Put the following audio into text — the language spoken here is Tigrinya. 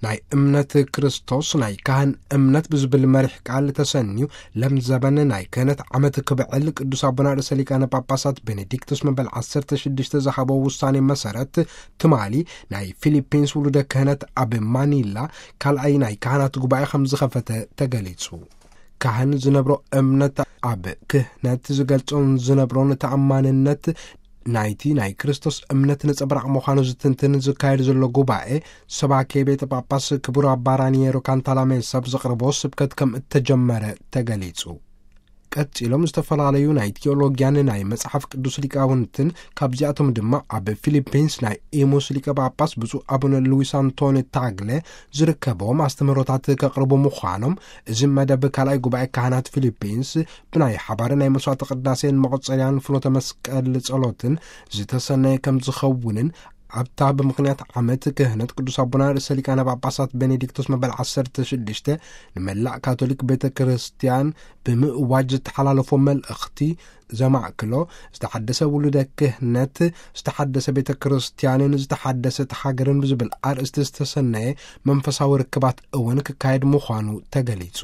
ናይ እምነት ክርስቶስ ናይ ካህን እምነት ብዝብል መሪሕ ቃል ተሰንዩ፣ ለምዘበን ናይ ክህነት ዓመት ክብዕል ቅዱስ ኣቦና ርእሰ ሊቃነ ጳጳሳት ቤኔዲክቶስ መበል ዓሰርተ ሽዱሽተ ዝሃቦ ውሳኔ መሰረት፣ ትማሊ ናይ ፊሊፒንስ ውሉደ ክህነት ኣብ ማኒላ ካልኣይ ናይ ካህናት ጉባኤ ከም ዝኸፈተ ተገሊጹ። ካህን ዝነብሮ እምነት ኣብ ክህነት ዝገልጾን ዝነብሮን ተኣማንነት ናይቲ ናይ ክርስቶስ እምነት ነጸብራቕ ምዃኑ ዝትንትን ዝካየድ ዘሎ ጉባኤ ሰባኬ ቤተ ጳጳስ ክቡር ኣባ ራኒየሮ ካንታላሜሳ ብዘቕረቦ ስብከት ከም እተጀመረ ተገሊጹ። ቀጺሎም ዝተፈላለዩ ናይ ቲዮሎጊያን ናይ መጽሓፍ ቅዱስ ሊቃውንትን፣ ካብዚኣቶም ድማ ኣብ ፊሊፒንስ ናይ ኢሙስ ሊቀ ጳጳስ ብፁዕ ኣቡነ ሉዊስ ኣንቶኒ ታግለ ዝርከቦም ኣስተምህሮታት ከቕርቡ ምዃኖም፣ እዚ መደብ ካልኣይ ጉባኤ ካህናት ፊሊፒንስ ብናይ ሓባር ናይ መስዋዕተ ቅዳሴን መቆጸርያን ፍኖተ መስቀል ጸሎትን ዝተሰነየ ከም ዝኸውንን፣ ኣብታ ብምኽንያት ዓመት ክህነት ቅዱስ ኣቦና ርእሰ ሊቃነ ጳጳሳት ቤኔዲክቶስ መበል ዓሰርተ ሽዱሽተ ንመላእ ካቶሊክ ቤተ ክርስቲያን ብምእዋጅ ዝተሓላለፎ መልእኽቲ ዘማእክሎ፣ ዝተሓደሰ ውሉደ ክህነት፣ ዝተሓደሰ ቤተ ክርስቲያንን ዝተሓደሰት ሃገርን ብዝብል ኣርእስቲ ዝተሰነየ መንፈሳዊ ርክባት እውን ክካየድ ምዃኑ ተገሊጹ።